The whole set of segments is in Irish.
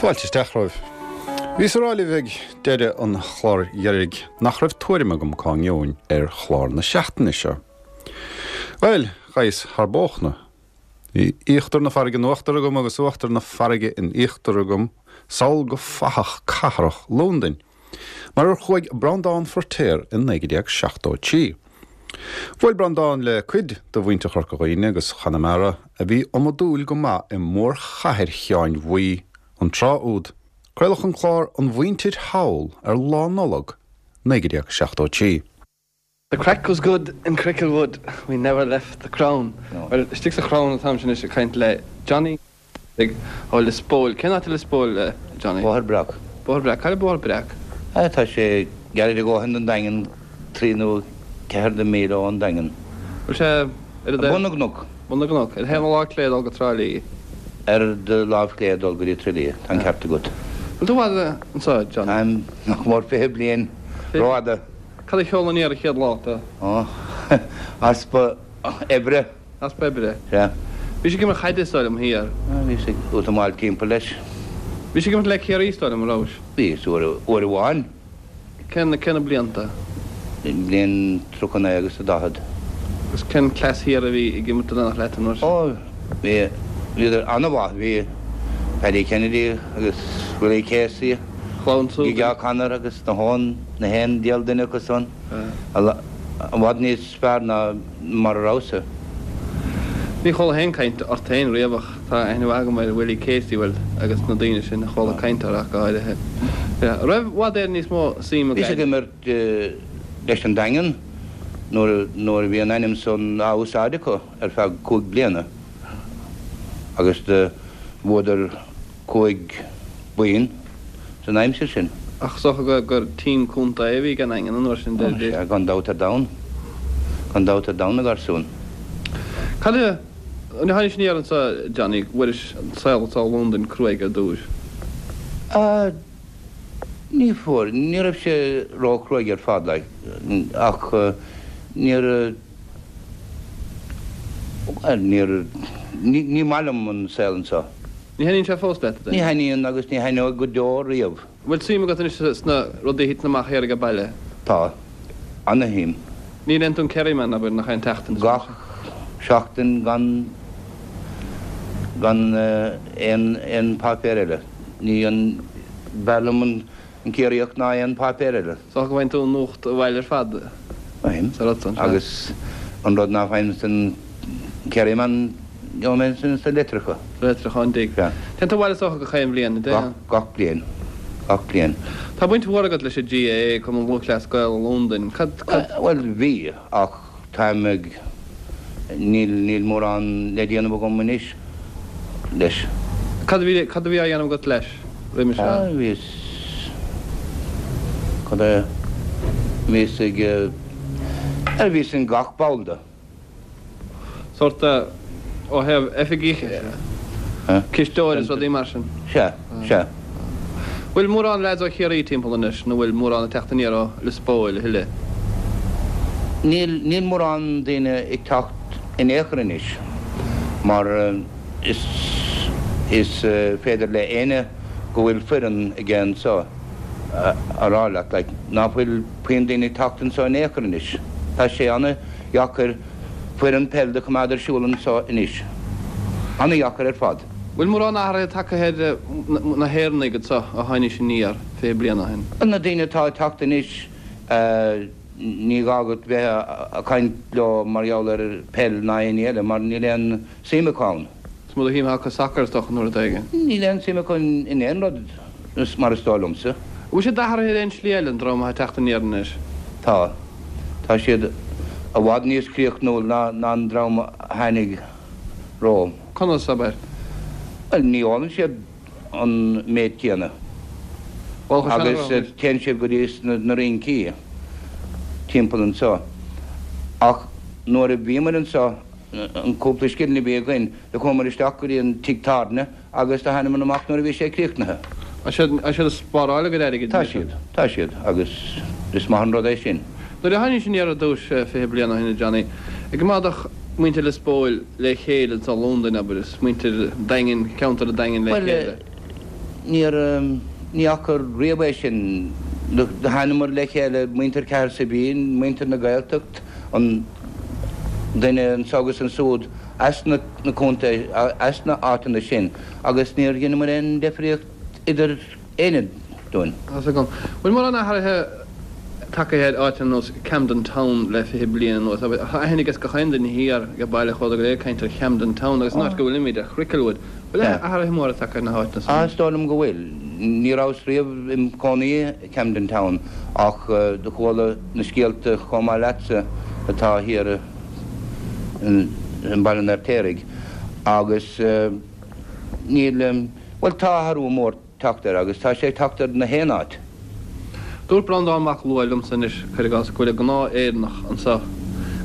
Fáilte isteach romhaibh. Bhíos ag rá libh ag deireadh an chláir dheiridh nach raibh tuairim agam cá ngeobhainn ar chlár na seachtaine seo. Bhuel, ghabhas thar bóchna. Bhí íochtar na farraige in uachtar agam agus uachtar na farraige in íochtar agam sall go fathach cathrach Londain. Mar ar chuaigh Breandán Feiritéar in 1973. Bhuail Breandán le cuid de mhuintir Chorca Dhuibhne agus Chonamara a bhí iomadúil go maith i mórchathair Sheáin Bhuí an tráth úd. Craoladh an clár An Mhuintir Thall ar Lá Nollag 1973. The craic was good in Cricklewood, we never left the Crown. Bhuel, istigh sa Chrown atáimse anois ag caint le Johnny ó Lios Póil. Cén áit i Lios Póil, Johnny? Bóthar Breac. Bóthar Breac. Cad é Bóthar Breac? Tá sé gairid a dhóthain don Daingean, trí nó ceathair de mhíle ón Daingean. Bhfuil sé ar Bun na gCnoc. Bun na gCnoc. Ar thaobh na láimhe clé ag dul go Trá Lí. Ar do láimh chlé ag dul go dtí Trá Lí, tá an ceart agat. Bhfuil tú i bhfad anseo, Johnny? Táim nach mór 20 bliain, rófhada. Cad a sheol aniar an chéad lá tú? Ó, easpa oibre. Easpa oibre. Sea. Bhís ag imirt chaide is dóigh liom thiar. Bhíos ag útamáil timpeall leis. Bhís ag imirt le Ciarraí is dóigh liom, an rabhais? Bhíos, uair amháin. Cén, cé na blianta? Bliain 39 agus a 40. Agus cén cleas thiar a bhí ag imirt in éineacht leat an uair sin? Ó, bhí, bhíodar an-mhaith. Bhí Paddy Kennedy agus Willie Casey. Chlann Súdain. Gige O'Connor agus na hÓn, na haon diabhal duine acu san, i bhfad níos fearr ná mar a rabhas-sa. Ní chuala féin caint ort féin riamh ach tá aithne mhaith agam ar Willie Casey, bhuel, agus na daoine sin a chuala caint orthu ach go háirithe. An raibh i bhfad Éireann níos mó suim i Bhíos ag gcaid. imirt leis an Daingean nuair nuair a bhí an ainm san á úsáid acu ar feadh cúig bliana agus do bhuadar 5 boinn san aimsir sin. Ach is dócha gur team contae a bhí ag an nDaingean an uair sin, deir. Sea, gan dabht ar domhan. Gan dabht ar domhan, a gharsúin. Cad é, nuair a tháinig aniar anseo, Johnny, bhfuairis an saol anseo i Londain cruaidh ar dtús? Ah, ní fuair, ní raibh sé ró-chruaidh ar fad, like, ach níor, Bhuel, níor, ní maith liom an saol anseo. Ní thaitníonn sé fós leat, a Ní thaitníonn agus ní thaitneoidh go deo riamh. An bhfuil suim agat anois sna rudaí a thiteann amach thiar age baile? Tá. Ana-shuim. Ní léann tú an Kerryman, abair, nach aon tseachtain? Gach seachtain gan, gan aon, aon páipéar eile. Ní an, b'fhearr liom an An Ciarraíoch ná aon pháipéar eile. Is dócha go bhfaigheann tú an nuacht abhaile ar fad Faighim. sa rud san, sea. Agus an rud ná faighim san Kerryman, gheobhaidh mé ansin sna litreacha. Sna litreacha ón dtigh. Sea. Téann tú abhaile is dócha gach aon bhliain, an dtéann? Gach, gach bliain. Gach bliain. Tá baint mhór agat leis an GAA, Cumann Lúthchleas Gael i Londain. Cad, cad. Bhuel, bhí, ach táim ag, níl, níl mórán le déanamh agam anois leis. Cad a bhí, cad a bhí á dhéanamh agat leis roimhe seo? Ah, bhíos, cad é, bhíos ag, eh, bhíos in gach ball de. Sórt, ó thaobh oifigigh, cisteoir is rudaí mar sin. Sea, sea. Bhfuil mórán leaids ó Chiarraí timpeall anois nó bhfuil mórán ag teacht aniar ó Lios Póil a thuilleadh? Níl, níl mórán daoine ag teacht in aon chor anois mar is, is féidir le éinne go bhfuil foireann aige anseo a rá leat like ná fuil puinn daoine ag teacht anseo in aon chor anois. Tá sé ana-dheacair foireann peil do choimeád ar siúl anseo anois. Ana-dheacair ar fad. Bhfuil mórán athraithe tagtha ar na hÉireannaigh anseo ó tháinís aniar 20 bliain ó shin? Na daoine atá ag teacht anois, ní gá agat bheith ag caint leo mar gheall ar peil ná aon ní eile mar níl aon suim acu ann. Is mó de shuim acu sacar is dócha nó rud éigin. Níl aon suim acu in aon rud mar is dóigh liomsa. Bhfuil siad athraithe ar aon slí eile, an dream atá ag teacht aniar anois? Tá. Tá siad i bhfad níos críochnúil ná an dream a tháinig romham. Conas, abair? Bhuel, ní ólann siad an méid céanna. Bhuel, Agus téann siad go dtí na rincí timpeall anseo. Ach nuair a bhíomar anseo, an cúpla scilling a bhí againn, do chuamar isteach go dtí an tigh tábhairne agus do thánamar amach nuair a bhí sé críochnaithe. Tá siad, tá siad ag spáráil a gcuid airgid Tá siad, tá siad, agus is maith an rud é sin. Nuair a tháinís aniar ar dtúis 20 bliain ó shin, a Johnny, an gcoimeádfadh muintir Lios Póil le chéile anseo i Londain, abair, is muintir Daingin, ceantar an Daingin le Bhuel, chéile? Níor, ní fhaca riamh é sin. Do thánamar le chéile, muintir Cahersiveen, muintir na Gaeltacht, an duine anso agus ansúd as na contae, as na áiteanna sin agus níor dheineamar aon deifríocht idir éinne dúinn. Tá's agam. Bhfuil mórán athraithe tagtha ar áit ar nós Camden Town le 20 bliain anuas? Tá aithne ages gach aon duine thiar ag baile chuala go léir ag caint ar Camden Town agus an áit go bhfuilimid, ar Chricklewood. Bhfuil athraithe móra tagtha ar na háiteanna san? Ah, is dóigh liom go bhfuil. Ní rabhas riamh im chónaí i Camden Town ach do chuala na scéalta chomh maith leatsa atá thiar i mBaile an Fheirtéaraigh agus níl, bhuel tá athrú mór teacht air agus tá sé ag teacht ar na haon áit. Dúirt Breandán Mac Lua liomsa anois, cuir i gcás, go bhfuil an gnáth-Éireannach anso,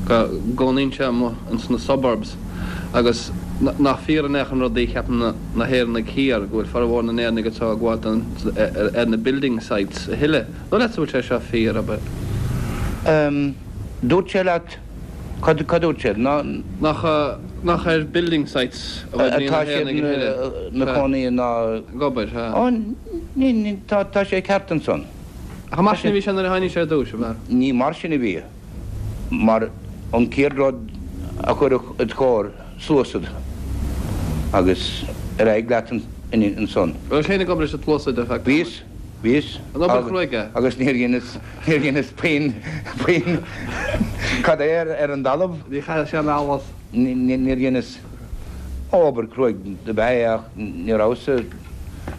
go gcónaíonn sé amuigh ins na suburbs agus nach fíor in aon chor an rud a cheapann na hÉireannaigh thiar, go bhfuil formhór na nÉireannaigh anso ag gabháil ar na building sites a thuilleadh. An dóigh leatsa go bhfuil sé seo fíor, abair? Dúirt sé leat Cad a dúirt siad? Ná. Nach, nach ar building sites a oibríonn na hÉireannaigh a thuilleadh. Atá siad 'na cónaí ná. Ag obair, sea. Ó, ní, ní, tá, tá sé ceart ansan. Ach mar sin a bhí sé nuair a tháinig sé ar dtúis, ab ea? Ní mar sin a bhí, mar an chéad rud a chuirfeadh id chomhair sluasaid agus ar aghaidh leat ansan. Raibh sé féin ag obair leis an tsluasaid ar feadh tamaill? Bhíos. Bhíos. An obair chruaidh é? Agus níor dheineas, níor dheineas puinn, puinn, cad é ar, ar an dtalamh. Ní chaithfeadh sé an allas. Níor dheineas, ó obair chruaidh dob ea é ach ní rabhas-sa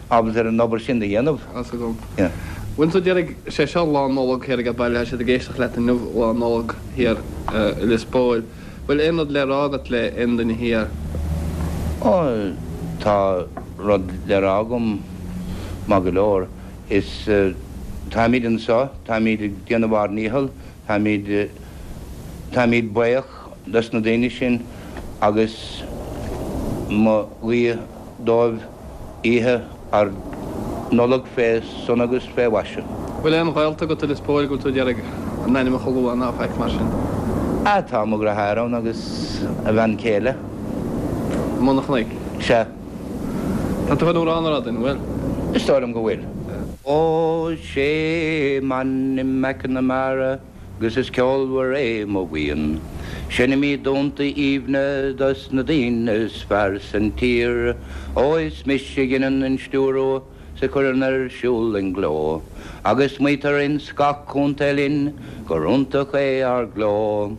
ábalta ar an obair sin do dhéanamh. Tá's agam. Yeah. Bhuel so déarfaidh sé seo Lá Nollag thiar ag baile, tá siad ag éisteacht leat inniu Lá Nollag thiar i Lios Póil. Bhfuil aon rud le rá agat le aon duine thiar? Ó, tá rud le rá agam, maith go leor. Is, táimid anseo, táimid ag déanamh ár ndícheall, táimid, táimid buíoch dos na daoine sin agus mo ghuí dóibh oíche ár Nollag fé shona agus fé mhaise. Bhfuil aon ghaolta agat i Lios Póil go bhfuil tú ag iarraidh a n-ainmneacha a lua ná faic mar sin? Ah, tá mo dheartháir ann agus a bhean chéile. I mBun an Chnoic? Sea. Tá tú chun amhrán a rá dúinn, an bhfuil? Is dóigh liom go bhfuil. Ó, 'sé m'ainm McNamara. 'Gus is ceolmhar é mo bhuíon. Seinnimid dúnta aoibhne dos na daoine is fearr san tír. Ó is mise a dheineann an stiúradh 's a chuireann ar siúl an gleo, Agus maítear ins gach contae linn gur iontach é ár gcló.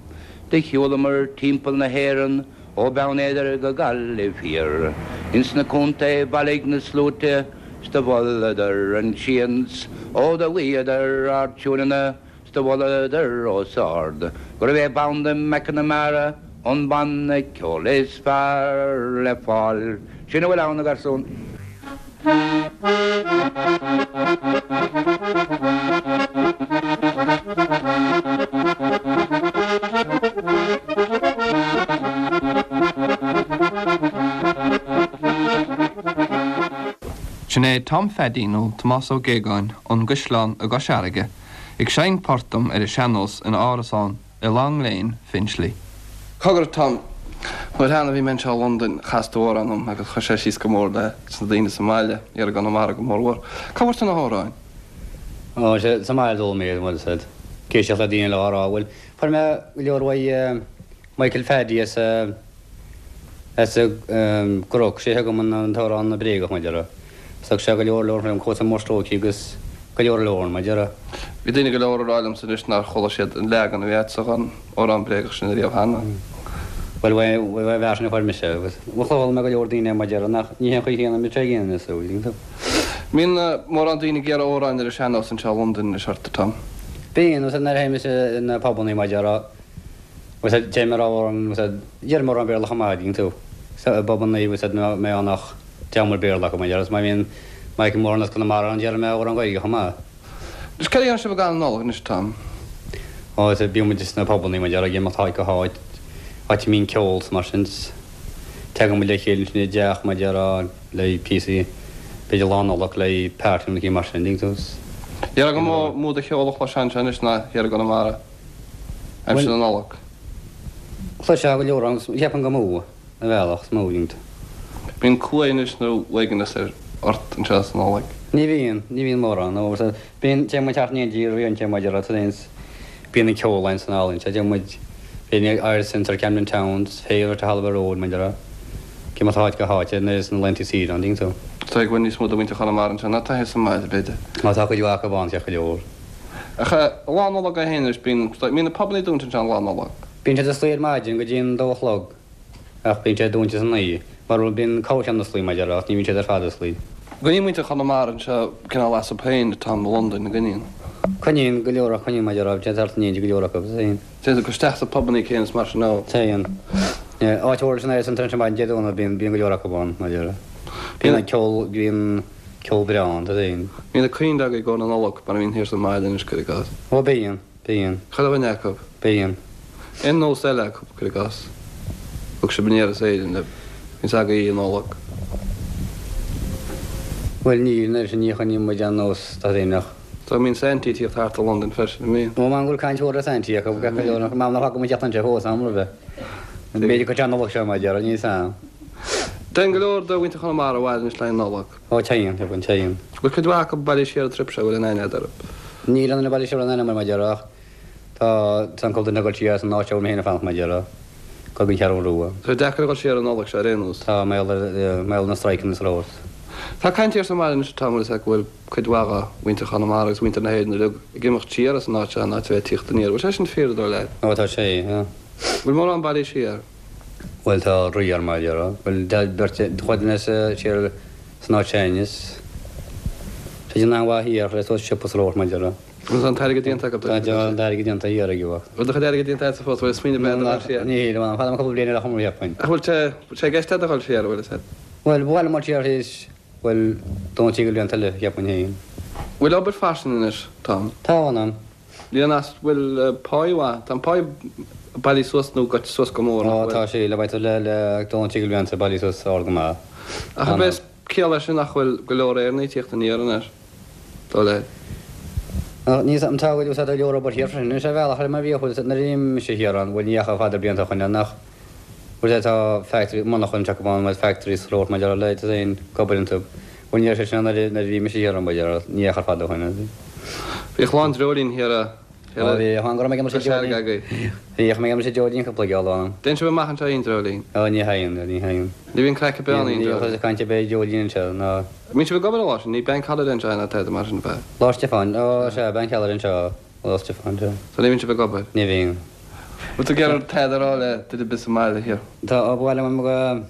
Do shiúlamar timpeall na hÉireann ó Beann Éadair go Gaillimh thiar. Ins na contae bhailigh na sluaite 's do mholadar an sians. Ó do ghuíodar ár dtiúineanna 's do mholadar os ard gurbh é Banda McNamara an banna ceoil is fearr le fáil. Sin a bhfuil ann, a gharsún. Sin é Tom Pheaidí nó Tomás Ó Géagáin ón gCaisleán i gCois Fharraige ag seinnt port dom ar an sean-nós ina árasán i Long Lane, Finchley. Cogar, Tom, an uair cheana a bhí mé anseo i Londain, chas tú amhrán dom agus chuir sé síos go mór le sna daoine sa mbaile, thiar i gConamara go mórmhór. Cá bhfuair tú na hamhráin? Ó, sea, sa mbaile a d'fhoghlaim mé iad, bhuel, sea, ag éisteacht le daoine eile á rá, bhuel, fuair mé go leor uaidh Michael Phaddy as a. As an gCnoc, sé a thug dom an t-amhrán bréagach, mar a déarfá. Thug sé go leor leor fén Cóta Mór Stróicthe agus go leor leor, mar a déarfá. Bhí daoine go leor ag rá liomsa anois nár chuala siad an leagan a bhí agatsa dhon amhrán bréagach sin ariamh cheana. Bhuel, uaidh an bhfear sin a fuair mise agus chuala mé go leor daoine, mar a déarfá, nach, ní hé an chaoi chéanna a mbíonn sé ag déanamh is dóigh. Mbíonn mórán daoine ag iarraidh amhráin ar an sean-nós anseo i Londain anois ort, a Tom? Bíonn, agus nuair a théim sna pubannaí, mar a déarfá. Bhfuil fhios a'd, deirim amhrán, bhfuil fhios a'd, deirim amhrán Béarla chomh maith, an dtuigeann tú. So, i bpubannaí, bhfuil fhios a'd, má bhíonn ach dream Béarla acu, mar a déarfá, is má bhíonn, má fheicim amhrán as Conamara ann, déarfaidh mé amhrán Gaeilge chomh maith. Anois, céard a dhéanann sibh i gcaitheamh na Nollag anois, Tom? Ó, is bíonn muid sna pubannaí, mar a déarfá, ag imeacht áit go háit, áit a mbíonn ceol 's mar sin, 's tagann muid le chéile ansin i dteach, mar a déarfá, le píosaí, b'fhéidir Lá Nollag le party nó mar sin, an dtuigeann tú, 's. Déarfá gur mó, mó de cheol a chloisfeá anseo anois ná thiar i gConamara. Aimsir na Nollag. Chloisfeá go leor ann, cheapfainn gur mó, ar bhealach, is mó, dtuigeann tú. Bíonn cumhaidh anois nó uaigneas ar. ort anseo sa Nollaig? Ní bhíonn, ní bhíonn mórán, nó bíonn, téann muid thart in éindí rian, téann muid ar an bíonn an ceol ann san álainn, téann muid, bíonn Irish Centre, Camden Town, Féile to Holloway Road, mar a déarfá, ag imeacht ó háit go háit nuair is na laethanta saoire ann, tuigeann tú. Tá ag bhfuil níos mó de mhuintir Chonamara anseo ná atá thíos sa mbaile, b'fhéidir. Ó tá cuid mhaith acu ann, ceart go leor. Ach Lá Nollag é féin anois, bíonn, bíonn na pubannaí dúnta anseo an Lá Nollag. Bíonn siad osclaí ar maidin go dtí an dó a chlog. Ach bíonn sé dúnta san oíche, mar bhuel bíonn corrcheann osclaí mar a déarfá, ach ní bhíonn siad ar fad osclaí. Coinníonn muintir Chonamara anseo cineál astu féin atá i Londain, an gcoinníonn? Coinníonn go leor acu, coinníonn mar a déarfá, téann thart in éindí go leor acu, téann. Téann siad isteach sna pubannaí céanna is mar sin nó? Téann. Áit mhór leis an Irish Centre anseo maidin Dé Domhnaigh, bíonn, bíonn go leor acu ann, mar a déarfá. Bíonn an ceol, bíonn ceol breá ann, tá féin. Bíonn na coinnle agaibh i gcomhair na Nollag mar a bhíonn thiar sa mbaile anois, cuir i gcás. Ó bíonn. Bíonn. Chuile dhuine acu. Bíonn. Aon nós eile acu, cuir i gcás. Thug sibh aniar as Éirinn le bhíonns agaibh Oíche Nollag. Bhuel níl, an oiread sin ní choinníonn muid aon nós tá féin ach. Tá mbíonn Saintí ag tíocht thart i Londain freisin, an mbíonn? Ó m'anam go bhfuil caint mhór ar Saintí acu, gach uile dhuine, m'anam nach bhfaca muid teacht anseo fós am roimhe. B'fhéidir go dtí an Nollaig seo mar a déarfá, níl 'fhios a'm. Téann go leor de mhuintir Chonamara abhaile anois le haghaidh Nollag. Ó téann, téann, téann. Bhfuil cuid mhaith acu bailithe siar an trip seo, bhfuil aon aithne agat orthu? Níl aon duine bailithe siar aon aithne mar a déarfá ach tá tá an cúpla duine ag dul siar as an áit a bhfuil mé féin ag fanacht mar a déarfá, go dtí an Cheathrú Rua. Tá sé deacair a dhul siar an Nollaig seo ar aon nós. Tá, mar gheall ar, mar gheall ar na strikeanna is a rabhas. Tá caint thiar sa mbaile anois atá, mar is ea, go bhfuil cuid mhaith de mhuintir Chonamara agus mhuintir na hÉireann uilig ag imeacht siar as an áit seo in áit a bheith ag tíocht aniar. Bhfuil sé sin fíor, an dóigh leat? Ó tá sé, yeah. Bhfuil mórán bailithe siar? Bhuel tá riar mar a déarfá. Bhuel tá beirt chuid duine siar san áit sin is tá siad an-mhaith thiar le suas siopa sa Róimh mar a déarfá. Agus tá an t-airgead déanta acu Tá an t-airgead déanta thiar ag bhfuil do chuid airgid déanta agatsa fós, bhfuil smaoineamh agat a dhul siar? Níl, bhuel fanfaidh mé cúpla bliain eile chomh maith cheapfainn. Ach bhfuil sé, bhfuil sé i gceist agat a dhul siar, bhfuil fhios agat? Bhuel, ba mhaith liom dul siar théis, bhuel, dó nó trí de bhlianta eile cheapfainn féin. Bhfuil obair fairsing anois, Tom? Tá, anam. Níl an as bhfuil páí mhaith. Tá an páí bailithe suas nó goite suas go mór, nach bhfuil? Ó tá sé, le beidh tú le le dó nó trí de bhlianta bailithe suas ard go maith. Ach ab é is ciall leis sin nach bhfuil go leor Éireannaigh ag tíocht aniar anois, dóigh leat? Níl 's a'm, tá go úsáid go leor obair thiar freisin. Anois ar bhealach eile mar bhíodh, bhfuil 's a'd, nuair a bhí mise thiar ann, bhuel ní dheachaigh fada blianta ó shoin ann ach bhfuil 's a'd tá factory, monarcha anseo acu ann, bhuel factories throat mar a déarfá le tú féin ag obair iontu. Bhuel ní raibh sé sin ann nuair a bhí mise thiar ann, b'fhéidir, ní dheachaigh fada ó shoin. Bhíodh lán dreoilín thiar a Ó bhí, tháinig go raibh mé ag imirt sa dreoilín. Bhíodh mé ag imirt sa dreoilín cúpla geall ann. Dtéann sibh amach anseo aon dreoilín? Ó ní théann, ní théann. Ní bhíonn craic ar bith ann aon dreoilín. Ní bhíonn caint ar bith ar dreoilín anseo ná. Mbíonn sibh ag obair an lá sin, ní bank holiday anseo ná tada mar sin ab ea? Lá Stiofáin, ó sea, bank holiday anseo, Lá Stiofáin, sea. So ní bhíonn sibh ag obair? Ní bhíonn. Bhfuil tú ag iarraidh tada a rá le duine ar bith sa mbaile thiar? Tá, ba mhaith liom go.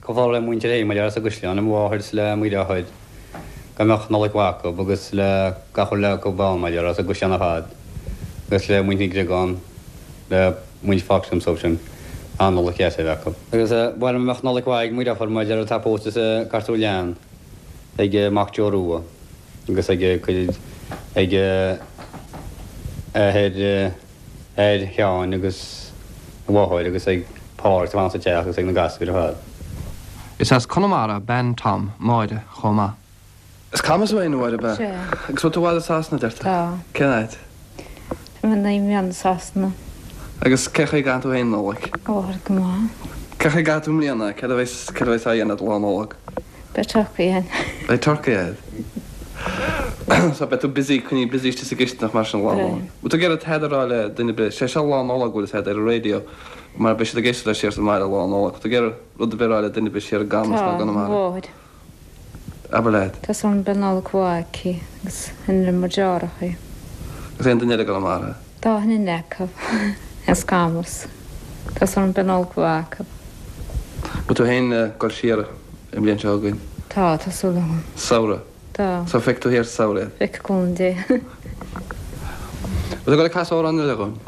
Go bhfágfaidh le muintir Éamainn as an gCaisleán, le mo mháthair 's le mo dheartháir, go mbeadh Nollaig mhaith acu agus le gach uile acu ann mar a déarfá, as an gCaisleán ar fad agus le muintir na gCreagán, le muintir Fox liom sórt sin, an-Nollaig dheas a bheith acu. Agus ba mhaith liom go mbeadh Nollaig mhaith ag mo dheirfiúr mar a déarfá atá pósta sa gCartúr Leann, ag mac Joe Rua agus ag cuid ag athair. athair Sheáin agus a mháthair agus ag Pádraig atá fanacht sa teach agus ag na gasúir ar fad. Is as Conamara bean Tom, Máire, chomh maith. As Camas thú féin, a Mháire, ab ea? Sea. Agus bhfuil tú abhaile i Sasana, deir tú? Tá. Cén áit? Tá mé 9 mbliana i Sasana. Agus cén chaoi a gcaitheann tú féin an Nollaig? Ó, go maith. Cén chaoi a gcaitheann tú i mbliana? Céard a bheas, céard a bheas á dhéanamh do Lá Nollag? Beidh turcaí ann. Beidh turcaí ann. So beidh tú busy, coinnithe busy istigh sa gcistineach mar sin Lá Nollag. Bhfuil tú ag iarraidh tada a rá le duine ar bith? Sé seo Lá Nollag, bhfuil fhios agat, ar an raidió, mar beidh siad ag éisteacht leis siar sa mbaile Lá Nollag. Bhfuil tú ag iarraidh rud ar bith a rá le duine ar bith siar i gCamas nó i Tá, gConamara? mo mháthair. Abair leat. Tá súil agam beidh Nollaig mhaith aici agus in le mo deartháireacha. Agus aon duine eile i gConamara? Tá duine acu as Camas. Tá súil agam beidh Nollaig mhaith acu. Bhfuil tú féin ag dul siar an bhliain seo chugainn? Tá, tá súil agam. Samhradh? Tá. So feicfidh tú thiar sa samhradh iad? Feicfidh, cúnamh Dé. Bhfuil tú ag dul ag casadh amhrán eile dhúinn?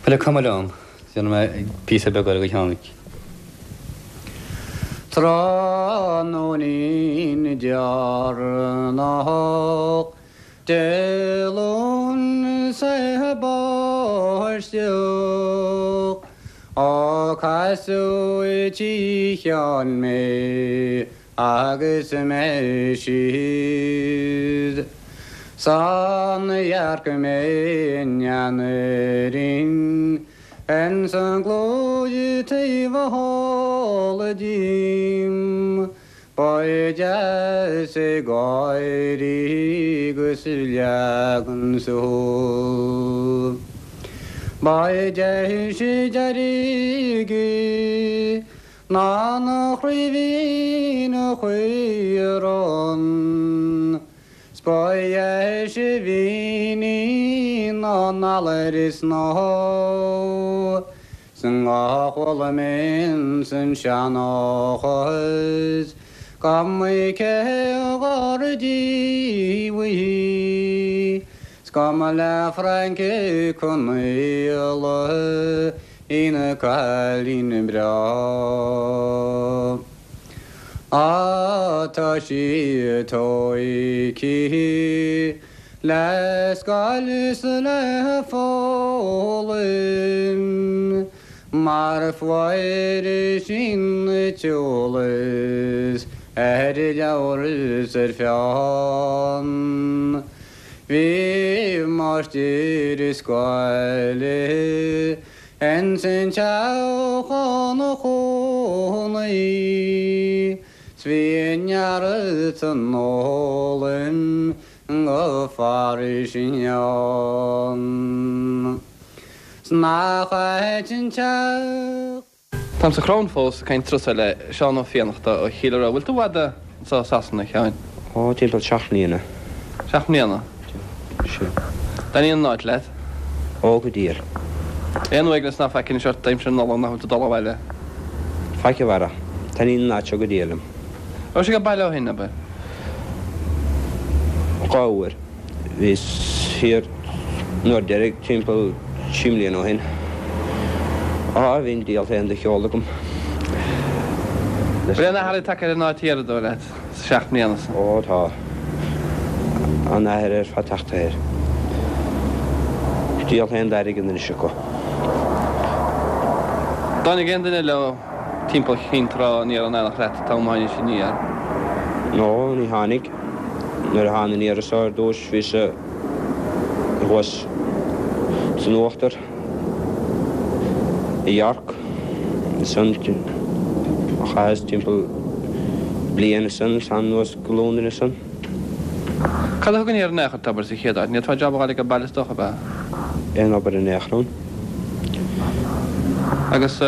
Bhuel, cuma liom. Déanfaidh mé píosa beag eile go cheann. Tráthnóinín deireanach Dé Luain 's ag báisteach Ó casadh i dtigh Sheáin mé agus mé síos 'S amharc mé i ndeanairín Ins an gcluaidh taobh thall díom. Ba deas ag gáirí 'gus ag leagan súl. Ba deise deirge ná na craoibhín a chaoran. 'S ba dheise mhín í ná an eala is an bhó 'S nach bhfuil mé ins an seanchas Go mba cé gur díobh í 'S go mba le Francie Conaola í an cailín breá. Á tá sí tóigthe le scoil is le foghlaim mar fuair sí an t-eolas ar leabhar is ar pheann. Bhí máistir scoile Ins an teach ina chónaí 's bhí neart an fhoghlaim go fairsing ann. 'S nach ait an teach. Táim sa Chrown fós ag caint turas le Seán Ó Fiannachta ó Chill Ua. Bhfuil tú i bhfad anso i Sasana, a Sheáin? Ó, timpeall seacht mbliana. Seacht mbliana? Sea. Taitníonn an áit leat? Ó, go diail. Aon uaigneas ná faic anois ort aimsir na Nollag nach bhfuil tú ag dul abhaile? Faic a Bharra. Taitníonn an áit seo go diail liom. Raibh sibh ag baile ó shin, abair? Dhá uair. Bhíos thiar an uair deiridh timpeall trí mbliana ó shin. Á, bhí an diabhal féin de cheol agam. Bhfuil aon athrú tagtha ar an áit thiar, an dóigh leat, sa seacht mbliana san? Ó, tá. An-athrú ar fad tagtha air. Diabhal féin d'airgead anois acu. Dtáinig aon duine leo timpeall Chinn Trá aniar in éineacht leat an t-am a tháinís aniar? No, ní tháinig. Nuair a thána aniar anso ar dtúis bhíos-sa thuas san uachtar i York ansan chaitheas timpeall bliain ansan is thána anuas go Londain ansan. Cad a thug aniar in aon chor tú, abair, sa chéad áit? Ní fhéadfá jab a fháil age baile is dócha, ab ea? Aon obair in aon chor ann. Agus.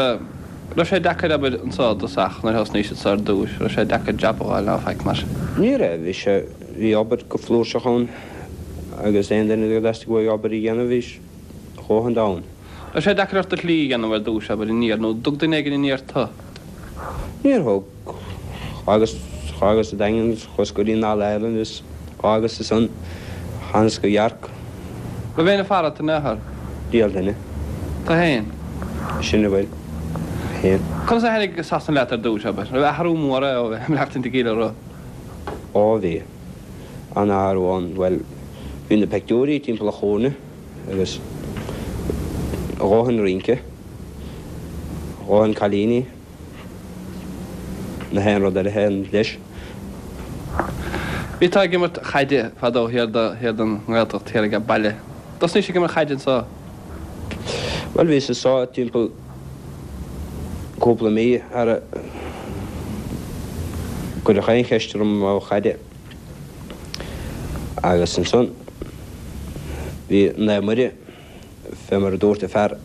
Raibh sé deacair abair anso i dtosach nuair a thosnaís anso ar dtúis, raibh sé deacair jab a fháil ná faic mar sin? Ní raibh, bhí sé, bhí obair go flúirseach ann agus aon duine go dteastaigh uaidh obair a dhéanamh bhí a dhóthain de ann. Raibh sé deacair ort do shlí a dhéanamh ar dtúis abair aniar nó dtug duine éigin aniar tu? Níor thug. D'fhágas, d'fhágas an Daingean, chuas go dtí an All Ireland is d'fhágas ansan, thánas go York. Raibh éinne ag faire ort in aon chor? Diabhal duine. Tu fhéin? Sin a bhfuil. Féin. Conas a thaitnigh Sasana leat ar dtúis, abair? Raibh athrú mór é ó bheith ag maireachtaint i gCill Ua? Ó bhí. An-athrú ann. Bhuel, bhí na peictiúirí timpeall an chúinne agus a dhóthain rince, a dhóthain cailíní. Na haon rud eile féin leis. Bhí tú ag imirt chaide fadó thiar do thiar don nGaeltacht thiar age baile. Dtosnaís ag imirt chaide anso? Bhuel bhíos anso timpeall cúpla mí sara gcuireadh aon cheist orm ó chaide. Agus ansan bhí Naomh Muire. Fé mar a dúirt an fear,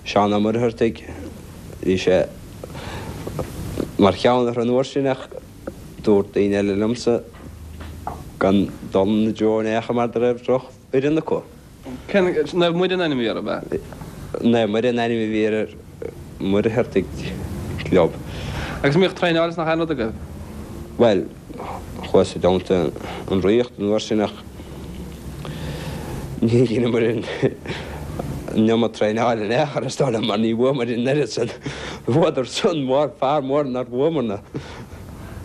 Seán Ó Muircheartaigh, bhí sé mar cheann orthu an uair sin ach dúirt daoine eile liomsa gan dul ina dtreo in aon chor mar go raibh droch fhoireann acu. Cén, Naomh Muire an ainm a bhí orthu, ab ea? Naomh Muire an ainm a bhí ar Muircheartaigh Club. Agus an mbíodh traenáil is nach aon rud agaibh? Bhuel, chuas i dteannta an Ríocht an uair sin ach ní dheineamar an iomad traenáil in aon chor is dóigh liom mar ní bhuamar an oiread san. Bhuadar san mór, fear mór nár bhuamarna.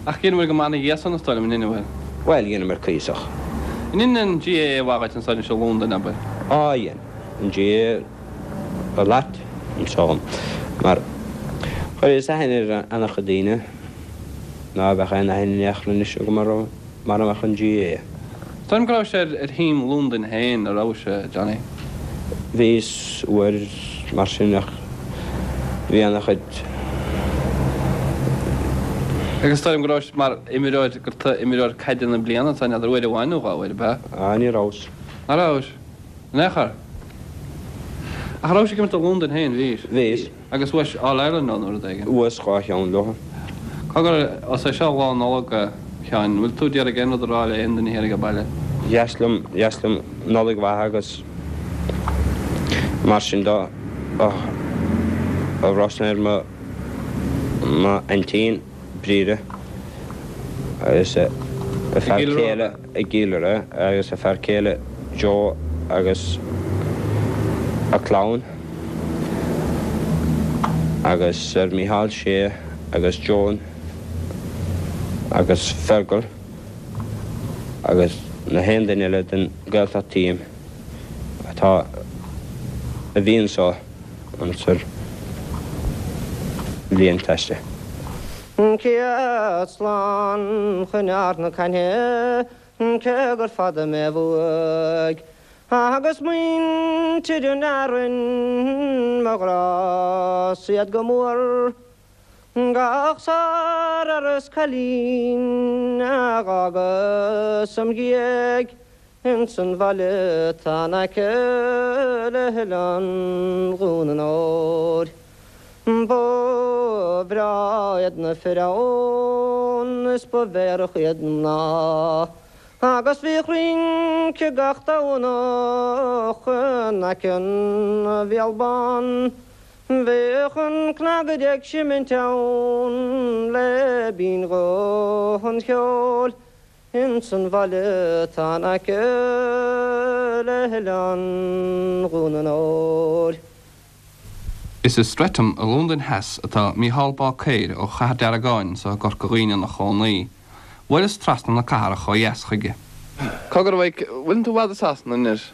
Ach dheineamar go maith ina dhiaidh san is dóigh liom, an ea? Bhuel, dheineamar cuíosach. An ndein an GAA mhaith dhuit ansan anois i Londain, abair? Á, dhein. An GAA a lot anso mar chuireas aithne ar an-chuid daoine ná beadh aon aithne in aon chor anois agam orthu mara mbeadh an GAA. Is dóigh liom go rabhais ar thím Londain féin, a rabhais, a Johnny? Bhíos uair mar sin ach bhí ana-chuid. Agus deirim go rabhais mar imreoir, gur toghadh imreoir caide na bliana ansan, n'fheadar uair amháin nó dhá uair, ab ea? Ah, ní rabhas. Ná rabhais? In aon chor? Ach rabhais ag imirt do Londain féin, bhís? Bhíos. Agus bhuais All Ireland leo nó rud éigin? Bhuas dhá cheann leo. Cogar, os é seo Lá Nollag, a Sheáin, an bhfuil tú d'iarraidh aon rud a rá le aon duine thiar age baile? Dheas liom, dheas liom Nollaig mhaith agus mar sin de a rá ar mo M'aintín, Bríde, agus a fear céile i gCill Rois agus a fear céile Joe agus a clann agus ar Mícheál Sé agus Joan agus Fergal agus na haon duine eile den Gaeltacht team atá a bhí anso. An bhliain taiste. Céad slán chun Ard na Caithne cé gur fada mé uaidh Agus muintir an Fhearainn mo ghrá siad go mór Gach sárfhear is cailín a dh'fhágas im dhiaidh Ins an bhaile atá in aice le hOileán Dhún an Óir. Ba bhreá iad na fir ann is ba mheidhreach iad na mná agus bhíodh rince gach Domhnach in aice an Bhéal Bán. Bhíodh an cnagaire ag seimint ann le binn-ghuth an cheoil. Ins an bhaile atá in aice le hOileán Dhún an Óir. Is i Streatham i Londain Theas atá Mícheál Báicéir ó Chathair Deargáin anso i gCorca Dhuibhne ina chónaí. Bhuaileas trasna na cathrach ó dheas chuige. Cogar, a Mhaidhc, bhfuileann tú i bhfad i Sasana anois?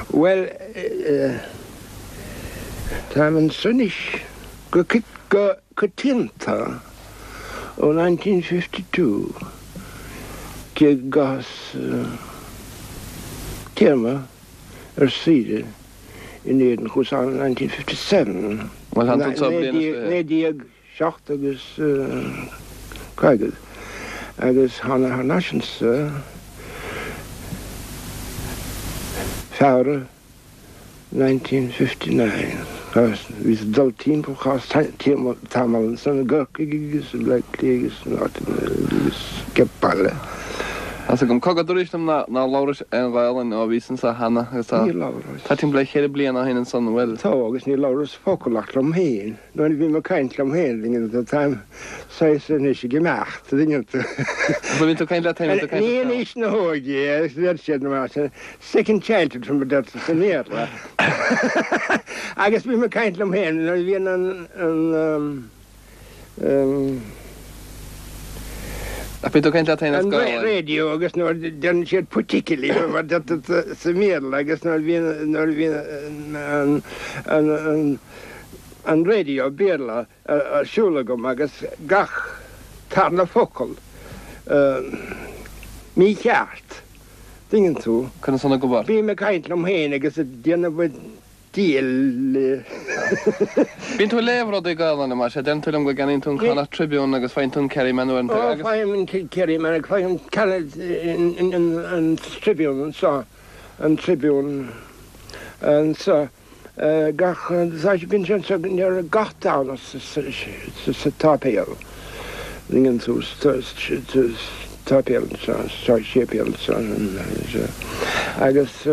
Bhuel, táim anso anois go coitianta ó 1952, cé go gcaitheas téarma ar saoire in Éirinn, chuas ann in 1957, Bhuel, tá tú anseo bliain is fiche. 7 agus 50, agus thána thar n-ais anso Feabhra 1959. Bhíos ag dul timpeall, chaitheas tamall ansan i gCorcaigh agus i mBleá Cliath agus in áiteanna eile agus age baile. Tá's agam. Cogar, dúraís liom nár labhrais aon Ghaelainn ó bhís anso cheana agus tá Níor labhras. tá timpeall le cheithre bliana ó shin ansan, an bhfuil? Tá, agus níor labhras focal ach liom féin. Nuair a bhím ag caint liom féin, táim saghas anois ag imeacht, an dtuigeann tú. Nuair a bhíonn tú ag caint leat féin, bíonn tú ag caint leat féin. Ní in aois na hóige é, agus deir siad mar sin, second childhood mar a deirtear sa mBéarla. Agus bím ag caint liom féin nuair a bhíonn an, an, Ach bíonn tú ag caint leat féin as An Gaelainn. radio agus nuair a deireann siad particularly mar a deirtear sa mBéarla agus nuair a bhíonn nuair a bhíonn an an an an radio Béarla ar siúl agam agus gach tarna focal mícheart, tuigeann tú. Conas san ag obair? Bím ag caint liom féin agus ag déanamh Diail. Bíonn tú ag léamh rudaí Gaelainne, mar sea, deireann tú liom go gceannaíonn tú an Connacht Tribune agus faigheann tú an Kerryman uaireanta Ó, agus. faighim an Kerryman agus faighim an Tribune anseo, an Tribune anseo gach, bíonn sé anseo gach Domhnach sa tsáipéal. Dtuigeann tú, sa tsáipéal anseo, sa séipéal anseo agus.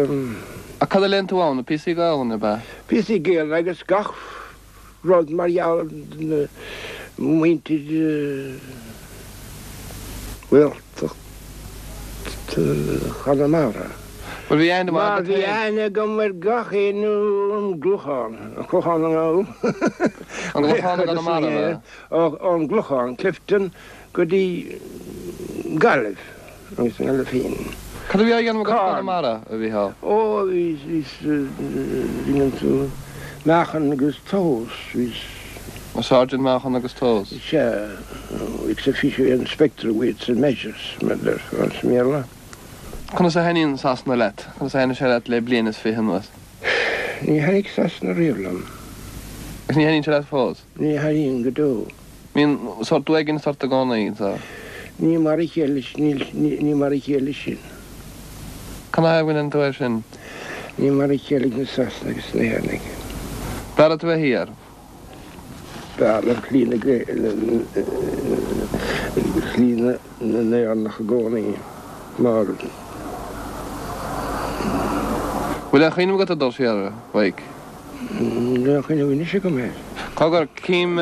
Ach cad a léann tú ann? Píosaí Gaelainne, ab ea? Píosaí Gaelainne agus gach rud mar gheall ar na muintir Ghaeltacht Chonamara. Bhuel, bhí aithne mhaith Mar agat bhí féin. aithne agam ar gach éinne ón gClochán, an Clochán an An gClochán i gConamara, ab ea? Ón gClochán, Clifden, go dtí Gaillimh agus an Gaillimh féin. Cad a bhí á dhéanamh agat i gConamara, a Mhícheál? Ó, bhí, dtuigeann tú, meáchan agus tomhas, bhí. Sergeant meáchan agus tomhas. Sea, ex officio inspector weights and measures, mar a déarfá sa mBéarla. Conas a thaitníonn Sasana leat? Conas a thaitnigh sé leat le bliain is fiche anuas? Ní thaitnigh Sasana riamh liom. Agus ní thaitníonn sé leat fós? Ní thaitníonn go deo. Mbíonn sórt uaigneas ort i gcónaí, so. Ní mar a chéile, ní mar a chéile sin. Canathaobh go ndeireann tú é sin? Ní mar a chéile ag na Sasanaigh agus na hÉireannaigh. B'fhearr leat a bheith thiar. B'fhearr liom slí na, slí na nÉireannach i gcónaí mar. Bhfuil aon chuimhneamh agat ag dul siar, a Mhaidhc? Níl aon chuimhneamh anois agam air. Cogar, cím,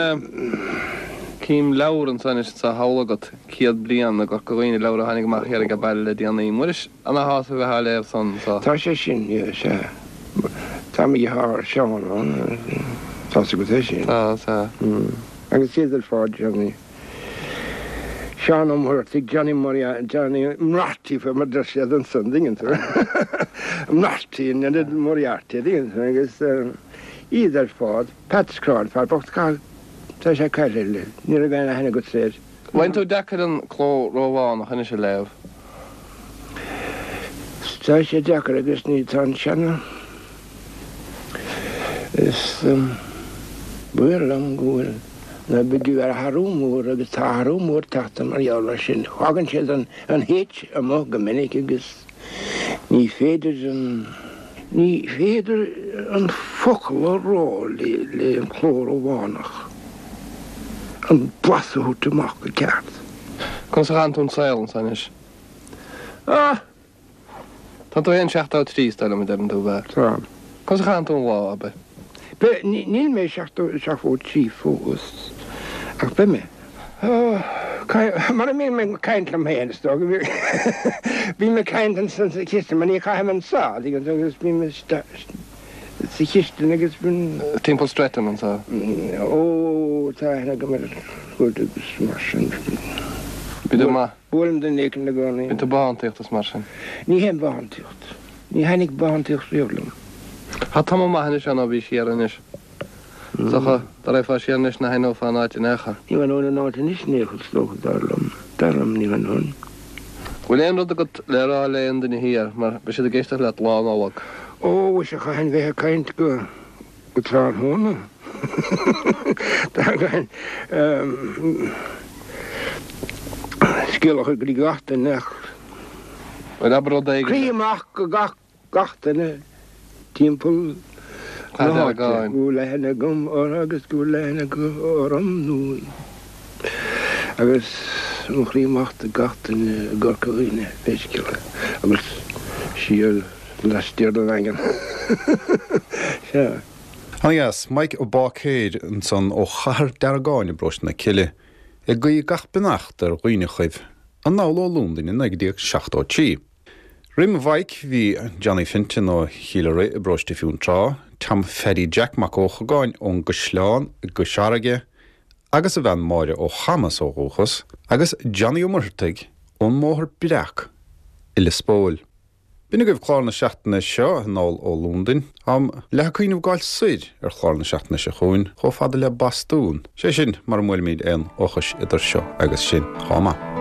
cím leabhar anso anois sa halla agat, Céad Bliain i gCorca Dhuibhne, leabhar a tháinig amach thiar age baile le déanaí. Muiris, ana-shásamh a bheith á léamh san so. Tá sé sin, sea. Tá mo dheartháir Seán ann, tá's agat é sin. Tá, sea. Agus iad ar fad, Johnny. Seán Ó Muircheartaigh, Johnny Moriarty, Johnny Moriarty faoi mar a deir siad ansan, an dtuigeann tú? Moriarty in ionad Moriarty, an dtuigeann tú, agus iad ar fad, Pat Scrail, fear bocht, tá sé caillte, ní raibh aon aithne agatsa air. Bhfaigheann tú deacair an cló Rómhánach anois a léamh? Tá sé deacair agus ní tá an seana is baol liom go bhfuil na big ar athrú mór agus tá athrú mór tagtha mar gheall air sin. Fágann siad an an H amuigh go minic agus ní féidir an ní féidir an focal a rá le le an cló Rómhánach an blas a thabhairt amach go ceart. Conas a chaitheann tú an saol anso anois? Ah! Tá tú féin 73 is dóigh liom a deireann tú, ab ea? Tá. Conas a chaitheann tú an lá, abair? Beidh, níl mé 73 fós, ach beidh mé. Mar a mbím ag caint liom féin, is dócha. Bím ag caint ansan sa chistin, mar ní chaithim anso, tuigeann tú, agus bím sa chistin agus bím. Timpeall Streatham anso? Ó, tá aithne agam ar chuid agus mar sin. Bíonn tú maith. Buailim duine éicint i gcónaí. Bíonn tú bothántaíocht is mar sin. Ní théim bothántaíocht. Ní thaitnigh bothántaíocht riamh liom. Tá tamall maith anois ann ó bhís thiar anois. Is dócha, dá raghfá siar anois nach aithneofá an áit in aon chor. Ní aithneoinn an áit anois in aon chor, is dócha, dar liom. Dar liom, ní aithneoinn. Bhfuil aon rud agat le rá le aon duine thiar, mar beidh siad ag éisteacht leat Lá Nollag. Ó, mhuise, chaithfinn bheith ag caint go. Go tráthnóna. Tagann scéal a chur go dtí gach duine ach. Bhuel, abair rud éigin. Croí amach go gach gach duine timpeall na háite go bhfuil aithne agam orthu agus go bhfuil aithne acu orm nó agus mo chroí amach do gach duine i gCorca Dhuibhne, pé scéal é, agus siar. Laistiar den Daingean. Sea. Ana-dheas. Mike Ó Báicéir ansan ó Chathair Deargáin i bparóiste na Cille, ag guí gach beannacht ar dhaoineachaibh anall ó Londain i 1973. Roim Mhaidhc bhí Johnny Fenton ó Chill Araidhe i bparóiste Fionntrá, Tom Pheaidí Jack Mac Eochagáin ón gCaisleán i gCois Fharraige agus a bhean Máire ó Chamas ó dhúchas, agus Johnny Ó Muircheartaigh ón mBóthar Breac i Lios Póil. B'in agaibh clár na seachtaine seo, anall ó Londain. Táim leath ag cuimhneamh gabháil soir ar chlár na seachtaine seo chugainn, chomh fada le Bostún, sé sin mura mbuailimid aon ocus idir seo agus sin. Chomh maith.